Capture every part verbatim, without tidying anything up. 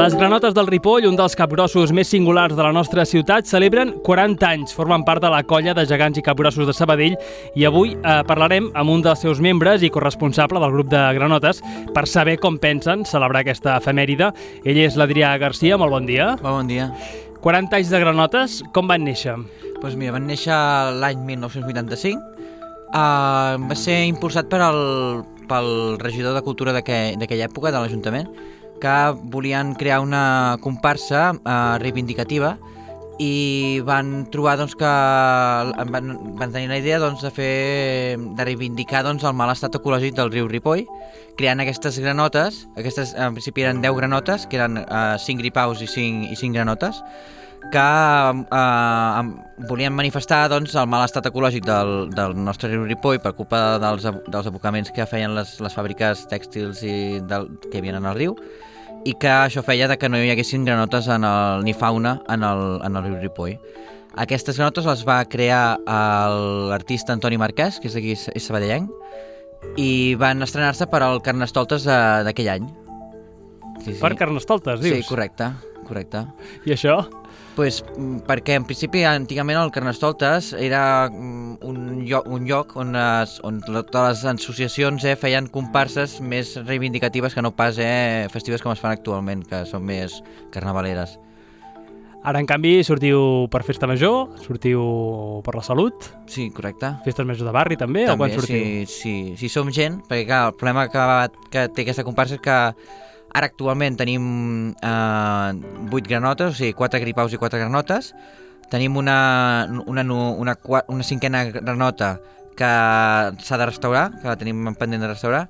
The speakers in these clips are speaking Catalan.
Les granotes del Ripoll, un dels capgrossos més singulars de la nostra ciutat, celebren quaranta anys. Formen part de la colla de gegants i capgrossos de Sabadell i avui eh, parlarem amb un dels seus membres i corresponsable del grup de granotes per saber com pensen celebrar aquesta efemèride. Ell és l'Adrià Garcia. Molt bon dia. Bon dia. quaranta anys de granotes, com van néixer? Doncs mira, van néixer l'any mil nou-cents vuitanta-cinc. Uh, va ser impulsat per el, pel regidor de Cultura d'aquella època, de l'Ajuntament, que volien crear una comparsa uh, reivindicativa i van trobar doncs, que van, van tenir la idea doncs, de fer de reivindicar doncs, el mal estat ecològic del riu Ripoll, creant aquestes granotes. Aquestes en principi eren deu granotes, que eren uh, cinc gripaus i cinc, i cinc granotes, que eh, volien manifestar doncs, el mal estat ecològic del, del nostre riu Ripoll per culpa dels, dels abocaments que feien les, les fàbriques tèxtils i del, que hi havia en el riu, i que això feia de que no hi haguessin granotes en el, ni fauna en el, en el riu Ripoll. Aquestes granotes les va crear l'artista Antoni Marquès, que és d'aquí, és sabadellenc, i van estrenar-se per al Carnestoltes d'aquell any. Sí, sí. Per Carnestoltes, dius? Sí, correcte, correcte. I això? Pues, perquè en principi antigament el Carnestoltes era un lloc, un lloc on, es, on totes les associacions eh, feien comparses més reivindicatives que no pas eh, festives com es fan actualment, que són més carnavaleres. Ara, en canvi, sortiu per Festa Major, sortiu per la Salut. Sí, correcte. Festes Major de barri, també? També, o quan sortiu? sí, sí, sí, som gent, perquè clar, el problema que, que té aquesta comparsa és que ara actualment tenim eh, vuit granotes, o sigui, quatre gripaus i quatre granotes. Tenim una, una, una, una cinquena granota que s'ha de restaurar, que la tenim pendent de restaurar,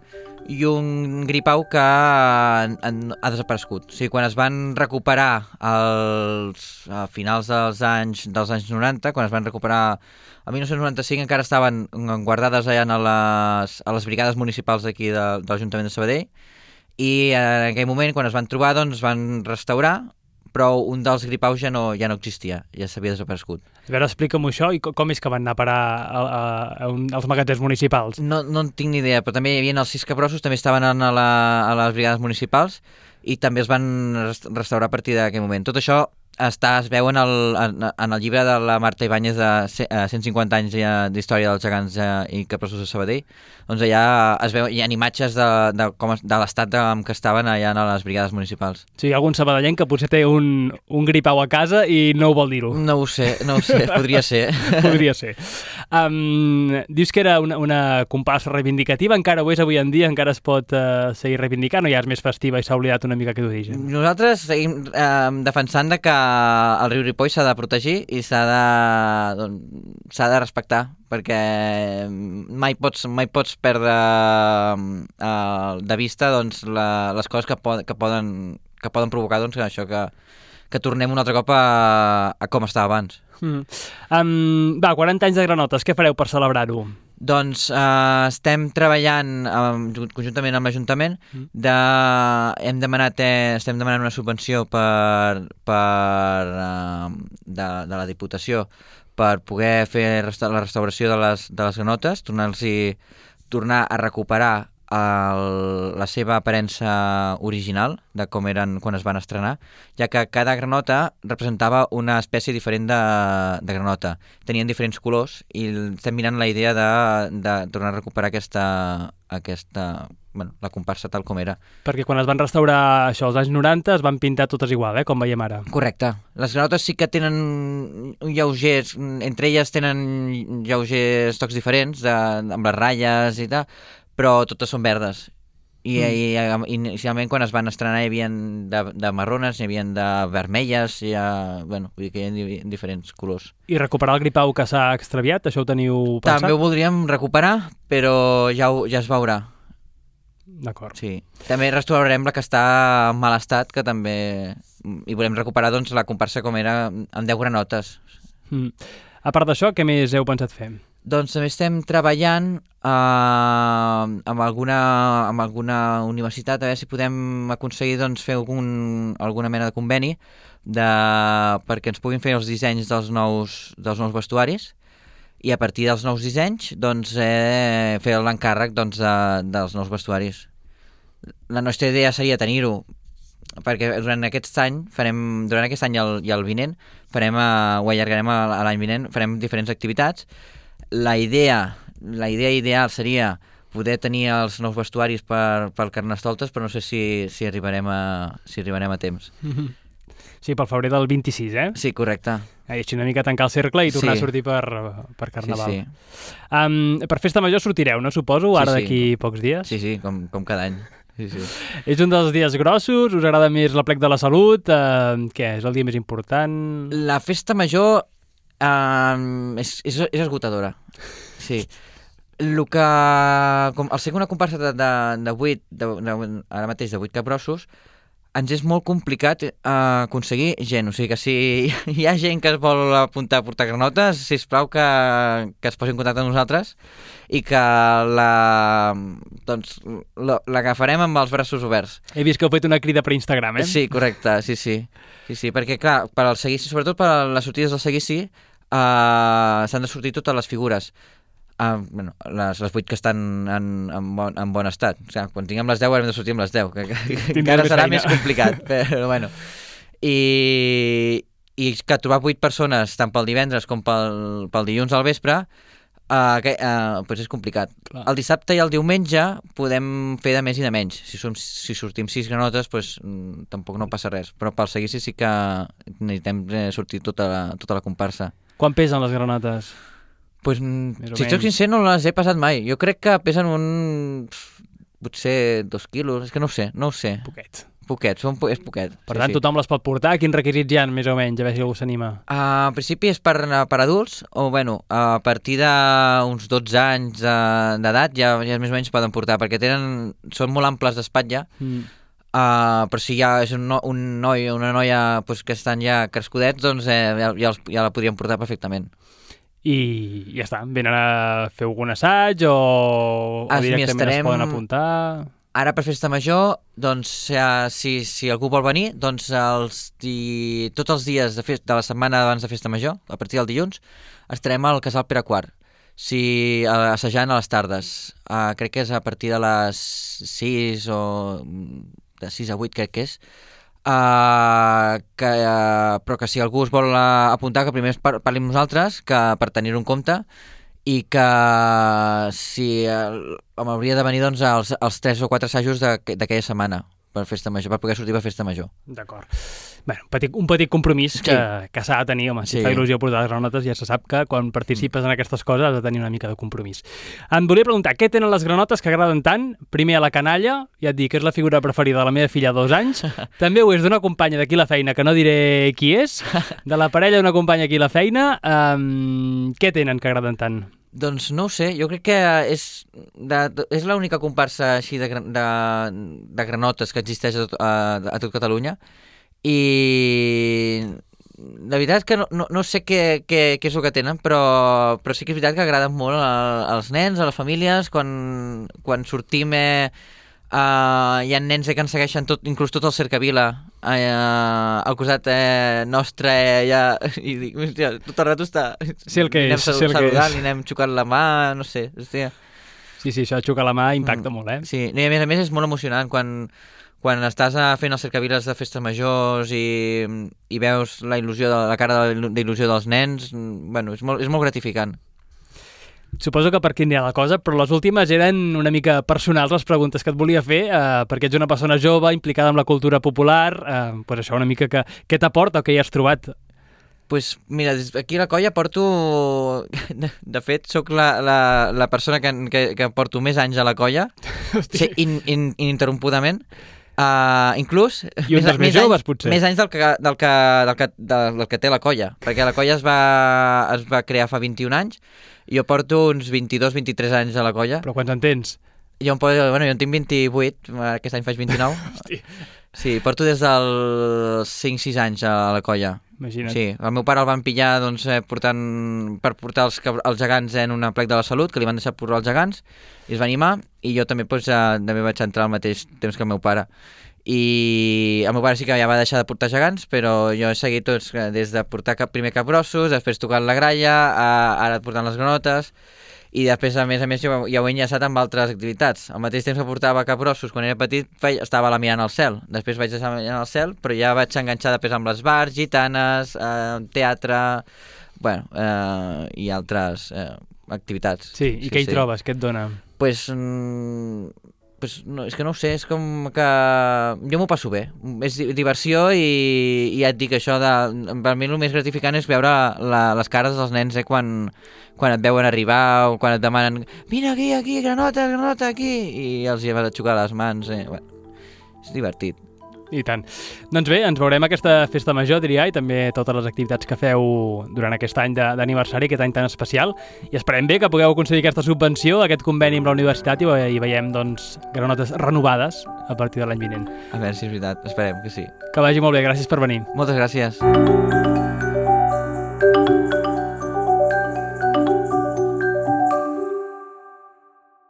i un gripau que ha, ha desaparegut. O sigui, quan es van recuperar els, a finals dels anys, dels anys noranta, quan es van recuperar el mil nou-cents noranta-cinc, encara estaven guardades allà a les, a les brigades municipals d'aquí de, de l'Ajuntament de Sabadell, i en aquell moment, quan es van trobar, doncs es van restaurar, però un dels gripaus ja no, ja no existia, ja s'havia desaparegut. A veure, explica'm això i com és que van anar a parar a, a, a un, als magatzems municipals? No, no en tinc ni idea, però també hi havia els sis capgrossos, també estaven a, la, a les brigades municipals i també es van restaurar a partir d'aquell moment. Tot això està, es veu en el, en, en el llibre de la Marta Ibáñez de cent cinquanta anys d'història dels gegants i capgrossos de Sabadell. Doncs allà es veu, hi ha imatges de, de, com, de l'estat en què estaven allà a les brigades municipals. Sí, hi ha algun sabadellenc que potser té un, un gripau a casa i no ho vol dir-ho. No ho sé, no ho sé, podria ser. Podria ser. Um, dius que era una, una comparsa reivindicativa, encara ho és avui en dia, encara es pot uh, seguir reivindicant o ja és més festiva i s'ha oblidat una mica aquest origen? Nosaltres seguim eh, defensant de que el riu Ripoll s'ha de protegir i s'ha de, doncs, s'ha de respectar, perquè mai pots, mai pots perdre uh, de vista doncs, la, les coses que, pod, que, poden, que poden provocar doncs, això, que, que tornem un altre cop a, a com estava abans. Mm. Um, va, quaranta anys de granotes, què fareu per celebrar-ho? Doncs eh, estem treballant eh, conjuntament amb l'Ajuntament, de, hem demanat, eh, estem demanant una subvenció per, per, eh, de, de la Diputació per poder fer resta la restauració de les, de les granotes, tornar-los tornar a recuperar el, la seva aparença original de com eren quan es van estrenar, ja que cada granota representava una espècie diferent de, de granota. Tenien diferents colors i estem mirant la idea de, de tornar a recuperar aquesta, aquesta, bueno, la comparsa tal com era. Perquè quan es van restaurar això als anys noranta es van pintar totes igual, eh, com veiem ara. Correcte. Les granotes sí que tenen lleugers, entre elles tenen lleugers tocs diferents, de, amb les ratlles i tal, però totes són verdes. I, mm. i inicialment quan es van estrenar hi havia de, de marrones, hi havia de vermelles, hi ha, bueno, vull dir que hi ha diferents colors. I recuperar el gripau que s'ha extraviat, això ho teniu pensat? També ho voldríem recuperar, però ja, ho, ja es veurà. D'acord. Sí. També restaurarem la que està en mal estat, que també hi volem recuperar doncs, la comparsa com era amb deu granotes. Mm. A part d'això, què més heu pensat fer? Doncs també estem treballant eh, amb, alguna, amb alguna universitat a veure si podem aconseguir doncs, fer algun, alguna mena de conveni de, perquè ens puguin fer els dissenys dels nous, dels nous vestuaris i a partir dels nous dissenys doncs, eh, fer l'encàrrec doncs, de, dels nous vestuaris. La nostra idea seria tenir-ho perquè durant aquest any, farem, durant aquest any i el, i el vinent, farem, uh, ho allargarem a, a l'any vinent, farem diferents activitats. La idea, la idea ideal seria poder tenir els nous vestuaris per, per Carnestoltes, però no sé si, si, arribarem, a, si arribarem a temps. Mm-hmm. Sí, pel febrer del vint-i-sis, eh? Sí, correcte. I així una mica tancar el cercle i tornar sí. a sortir per, per Carnaval. Sí, sí. Um, per Festa Major sortireu, no? Suposo, ara sí, sí. d'aquí pocs dies? Sí, sí, com, com cada any. Sí, sí. És un dels dies grossos? Us agrada més l'Aplec de la Salut? Uh, què, és el dia més important? La Festa Major uh, és, és, és esgotadora. Sí. El que, com, al ser una comparsa de, de, de vuit, de, de, ara mateix de vuit capgrossos, ens és molt complicat eh, aconseguir gent. O sigui que si hi ha gent que es vol apuntar a portar granotes, sisplau que, que es posi en contacte amb nosaltres i que la, doncs, l'agafarem amb els braços oberts. He vist que heu fet una crida per Instagram, eh? Sí, correcte, sí, sí. sí, sí perquè, clar, per al seguici, sobretot per a les sortides del seguici, eh, s'han de sortir totes les figures. Uh, bueno, les, les vuit que estan en, en, bon, en bon estat. O sigui, quan tinguem les deu haurem de sortir amb les deu, que, que, que encara serà feina. Més complicat, però bueno. I, i que trobar vuit persones, tant pel divendres com pel, pel dilluns al vespre, uh, que, uh, pues és complicat. Clar. El dissabte i el diumenge podem fer de més i de menys. Si, som, si sortim sis granotes, pues, mm, tampoc no passa res. Però pel seguici sí que necessitem sortir tota la, tota la comparsa. Quan pesen les granotes? Pues, si soc sincer, no les he pesat mai. Jo crec que pesen un... potser dos quilos, és que no ho sé, no ho sé. Poquet. Poquet, són, és poquet. Per sí, tant, sí. tothom les pot portar. Quins requisits hi ha, més o menys, a veure si algú s'anima? Uh, en principi és per, per adults, o bueno, a partir d'uns dotze anys d'edat ja, ja més o menys poden portar, perquè tenen, són molt amples d'espatlla, mm. uh, però si ja és un, no, un noi o una noia pues, que estan ja crescudets, doncs eh, ja, ja, els, ja la podrien portar perfectament. I ja està, venen a fer algun assaig o, o directament estarem... es poden apuntar? Ara per Festa Major, doncs, si, si algú vol venir, doncs els di... tots els dies de, fest... de la setmana abans de Festa Major, a partir del dilluns, estarem al Casal Pere quart, si, assajant a les tardes. Uh, crec que és a partir de les sis o de sis a vuit, crec que és. Uh, que, uh, però que si algú us vol uh, apuntar, que primer par parli amb nosaltres, que per tenir-ho en compte, i que si uh, m'hauria de venir doncs, els, els tres o quatre assajos d'aquella setmana per Festa Major, per poder sortir per Festa Major. D'acord. Bé, un petit, un petit compromís sí. que, que s'ha de tenir, home, si sí. fa il·lusió portar les granotes, ja se sap que quan participes en aquestes coses has de tenir una mica de compromís. Em volia preguntar, què tenen les granotes que agraden tant? Primer a la canalla, ja et dic que és la figura preferida de la meva filla de dos anys, també ho és d'una companya d'aquí la feina, que no diré qui és, de la parella d'una companya aquí a la feina, um, què tenen que agraden tant? Doncs no ho sé, jo crec que és, de, de, és l'única comparsa així de, de, de granotes que existeix a tot, a, a tot Catalunya, i la veritat és que no, no, no sé què, què, què és el que tenen, però, però sí que és veritat que agraden molt a, als nens, a les famílies, quan, quan sortim eh, Uh, hi ha nens que ens segueixen tot, inclús tot el cercavila uh, al costat eh, nostre eh, ja, i dic, hòstia, tot el rato està sí el que és, anem sí el saludant, que és. Li anem xocant la mà, no sé, hòstia. Sí, sí, això de xocar la mà impacta mm. molt, eh? Sí, i a més a més és molt emocionant quan, quan estàs fent els cercaviles de festes majors i, i veus la il·lusió de la cara d'il·lusió dels nens, bueno, és molt, és molt gratificant. Suposo que per aquí anirà la cosa, però les últimes eren una mica personals, les preguntes que et volia fer, eh, perquè ets una persona jove, implicada en la cultura popular, eh, pues això una mica que, què t'aporta o què hi has trobat? Pues mira, aquí a la colla porto... De, de fet, sóc la, la, la persona que, que, que porto més anys a la colla, sí, in, in, ininterrompudament. Uh, inclús I un dels més, més joves anys, potser més anys del que, del, que, del, que, del, del que té la colla, perquè la colla es va, es va crear fa vint-i-un anys, jo porto uns vint-i-dos vint-i-tres anys a la colla. Però quants en tens? Jo, bueno, jo en tinc vint-i-vuit, aquest any faig vint-i-nou. Sí, porto des dels cinc sis anys a la colla. Imagina't. Sí, el meu pare el van pillar doncs, eh, portant, per portar els, els gegants en una plec de la Salut, que li van deixar portar els gegants, i es va animar, i jo també, doncs, eh, també vaig entrar al mateix temps que el meu pare. I el meu pare sí que ja va deixar de portar gegants, però jo he seguit tots, des de portar cap, primer capgrossos, després tocant la gralla, a, ara portant les granotes, i després, a més a més, jo ja ho he enllaçat amb altres activitats. Al mateix temps que portava capgrossos, quan era petit, estava a la mirant al cel. Després vaig estar mirant al cel, però ja vaig enganxar després amb les bars, gitanes, eh, teatre, bueno, eh, i altres eh, activitats. Sí, i sí, què hi sí. trobes? Què et dona? Pues, mm, pues no, és que no ho sé, és com que jo m'ho passo bé, és diversió i, i ja et dic això, de, per mi el més gratificant és veure la, les cares dels nens eh, quan, quan et veuen arribar o quan et demanen vine aquí, aquí, granota, granota, aquí, i els hi vas a xocar les mans, eh. Bueno, és divertit. I tant. Doncs bé, ens veurem aquesta festa major, diria, i també totes les activitats que feu durant aquest any d'aniversari, aquest any tan especial, i esperem bé que pugueu aconseguir aquesta subvenció, aquest conveni amb la universitat, i, i veiem doncs, granotes renovades a partir de l'any vinent. A veure si és veritat, esperem que sí. Que vagi molt bé, gràcies per venir. Moltes gràcies.